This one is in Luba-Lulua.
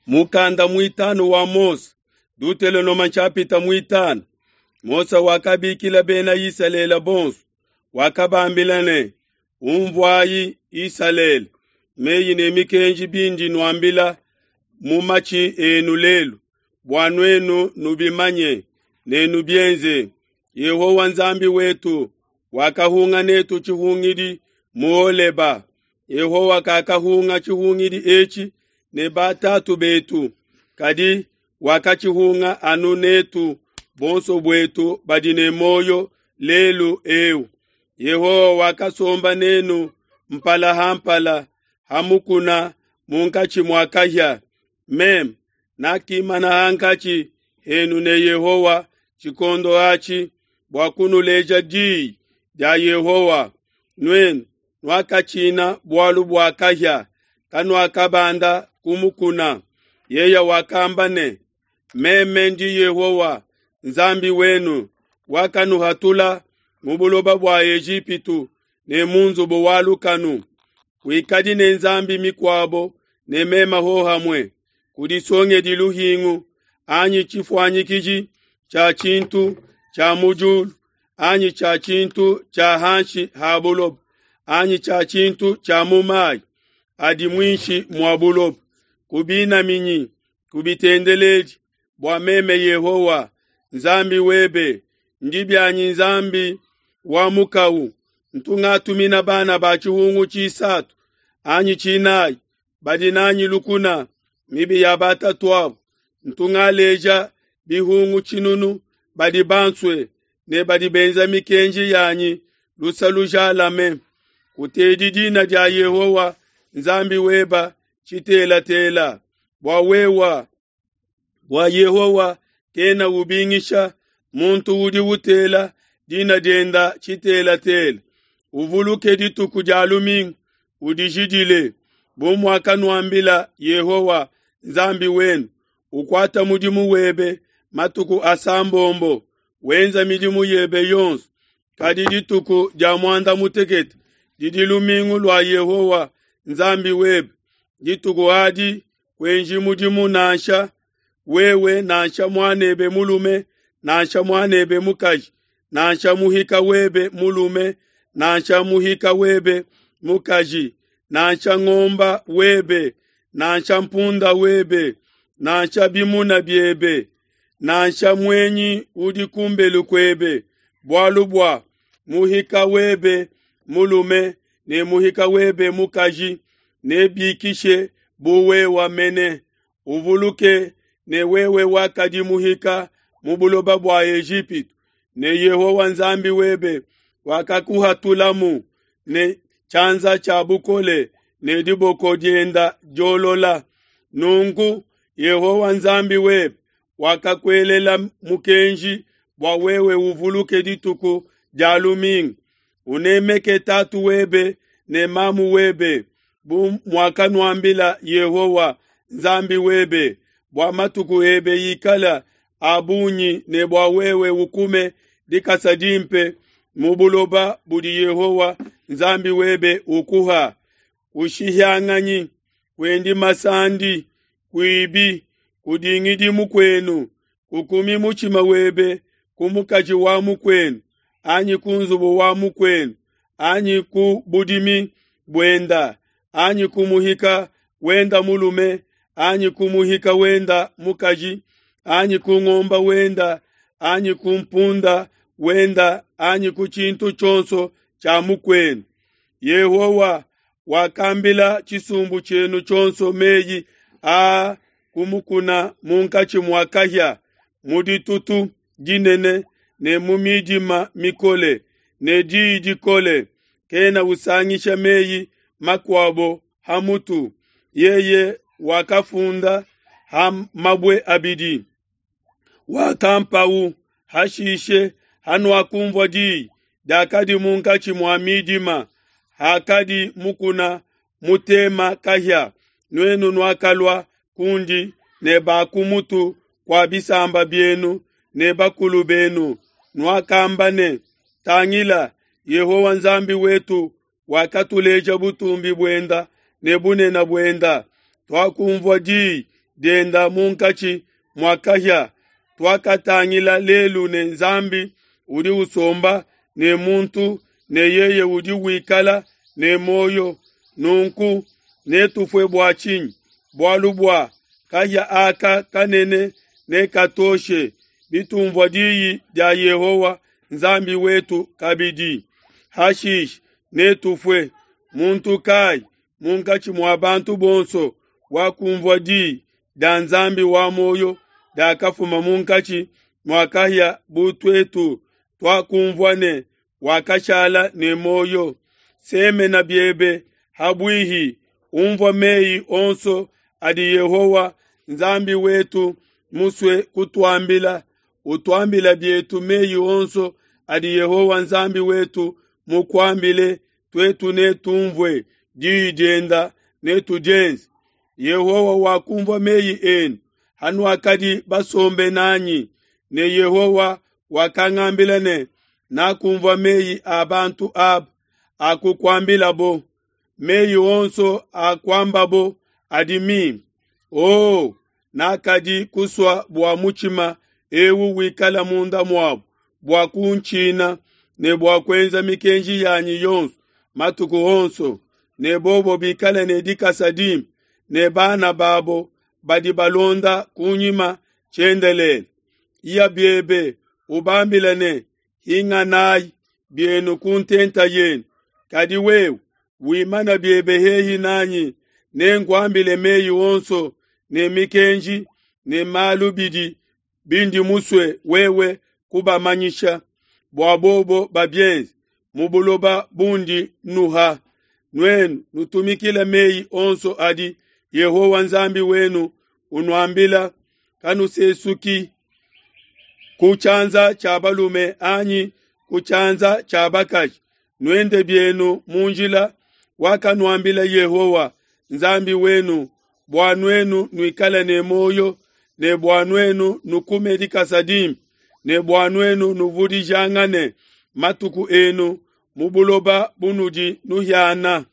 Mukanda muitanu wa Mose, Dutelonoma nshapita muitanu. Mose wakabikila bena Isalele bonso, wakabambila ne, Umvuayi Isalele, meyi ne mikenji bindi nuambila mu matshi enu lelu, bua nuenu nubimanye ne nubienze. Yehowa Nzambi wetu wakahunga netu tshihungidi mu Holeba. Yehowa kakahunga tshihungidi etshi ne batatu betu, kadi wakatshihunga anu netu bonso buetu badi ne muoyo lelu eu. Yehowa wakasomba nenu mpala ha mpala ha mukuna munkatshi mua kahia. Meme nakimana hankatshi henu ne Yehowa tshikondo atshi bua kunuleja diyi dia Yehowa. Nuenu nuakatshina bualu bua kahia, kanuakabanda ku mukuna. Yeye wakamba ne, Meme ndi Yehowa Nzambi wenu, wakanuhatula mu buloba bua Ejipitu ne mu nzubu wa lukanu. Kuikadi ne nzambi mikuabo ne meme hohamue. Kudisongedi luhingu anyi tshifuanyikiji tshia tshintu tshia mu diulu anyi tshia tshintu tshia hanshi ha buloba anyi tshia tshintu tshia mu mayi adi muinshi mua buloba. Kubinaminyi, kubitendeledi, bua meme Yehowa Nzambi webe ndi bianyi Nzambi wa mukawu. Ntu ngatumina bana ba tshihungu tshisatu anyi tshinayi badi nanyi lukuna mibi ya batatuabu. Ntu ngaleja bihungu tshinunu badi bansue ne badi benza mikenji yanyi lusa lujalame. Kutedi dina dia Yehowa Nzambi weba tshitelatela, bua wewa bua Yehowa kena ubingisha muntu udi utela dina dienda tshitelatela. Uvuluke dituku dia lumingu udijidile, bu muakanuambila Yehowa Nzambi wenu. Ukuata mudimu webe matuku asambombo, wenza midimu yebe yonso. Kadi dituku dia muanda mutekete didi lumingu lua Yehowa Nzambi webe. Dituku adi kuenji mudimu nansha wewe nansha muanebe mulume nansha muanebe mukaji nansha muhika webe mulume nansha muhika webe mukaji nansha ngomba webe nansha mpunda webe nansha bimuna biebe nansha muenyi udi kumbelu kuebe, bualu bua muhika webe mulume ne muhika webe mukaji nebikishe bu wewa mene. Uvuluke ne wewe wakadi muhika mu buloba bua Ejipitu, ne Yehowa Nzambi webe wakakuhatulamu ne tshianza tshia bukole ne diboko dienda diolola. Nunku Yehowa Nzambi webe wakakuelela mukenji bua wewe uvuluke dituku dia lumingu. Unemeke tatu webe ne mamu webe, bu muakanuambila Yehowa Nzambi webe, bua matuku ebe ikala a bungi ne bua wewe ukume dikasa dimpe mu buloba budi Yehowa Nzambi webe ukuha. Kushihianganyi, kuendi masandi, kuibi, kudingidi mukuenu, kukumi mutshima webe ku mukaji wa mukuenu anyi ku nzubu wa mukuenu anyi ku budimi buenda anyi ku muhika wenda mulume anyi ku muhika wenda mukaji anyi ku ngomba wenda anyi ku mpunda wenda anyi ku tshintu tshionso tshia mukuenu. Yehowa wakambila tshisumbu tshienu tshionso meyi aa ku mukuna munkatshi mua kahia, mu ditutu dinene ne mu midima mikole ne diyi dikole. Kena usangisha meyi makuabo ha mutu. Yeye wakafunda ha mabue abidi, wakampawu. Hashishe hanuakumvua diyi diakadi munkatshi mua midima, hakadi mukuna mutema kahia, nuenu nuakalua kundi ne ba ku mutu kua bisamba bienu ne bakulu benu, nuakamba ne, Tangila, Yehowa Nzambi wetu wakatuleja butumbi buenda ne bunene buenda. Tuakumvua diyi dienda munkatshi mua kahia. Tuakatangila lelu ne Nzambi udi usomba ne muntu ne yeye udi wikala ne muoyo. Nunku netufue bua tshinyi? Bualu bua kahia aka kanene nekatoshe bitumvua diyi dia Yehowa Nzambi wetu kabidi. Hashishe netufue. Muntu kayi munkatshi mua bantu bonso wakumvua diyi dia Nzambi wa muoyo diakafuma munkatshi mua kahia bu tuetu tuakumvua ne wakashala ne muoyo. Semena biebe habuihi, unvua meyi onso adi Yehowa Nzambi wetu musue kutuambila. Utuambila bietu meyi onso adi Yehowa Nzambi wetu mukuambile, tuetu netumvue diyi dienda netudienze. Yehowa wakumvua meyi enu hanuakadi basombe nanyi, ne Yehowa wakangambila ne, Nakumvua meyi a bantu aba akukuambilabo. Meyi onso akuambabo adi mimpe. Oh, nakadi kusua bua mutshima eu wikala munda muabo bua kuntshina ne bua kuenza mikenji yanyi yonso matuku onso, ne bobo bikale ne dikasa dimpe ne bana babo badi balonda kunyima tshiendelele. Iya biebe ubambile ne, Hinganayi bienu ku ntenta yenu. Kadi wewe wimana biebe hehi nanyi, nenkuambile meyi onso ne mikenji ne malu bidi bindi musue wewe kubamanyisha, bua bobo babienze mu buloba bundi nnuha. Nuenu nutumikile meyi onso adi Yehowa Nzambi wenu unuambila, kanusesuki ku tshianza tshia balume anyi ku tshianza tshia bakaji. Nuende bienu mu njila wakanuambila Yehowa Nzambi wenu, bua nuenu nuikale ne muoyo ne bua nuenu nukume dikasa dimpe ne bua nuenu nuvudijangane matuku enu mu buloba bunudi nuhiana.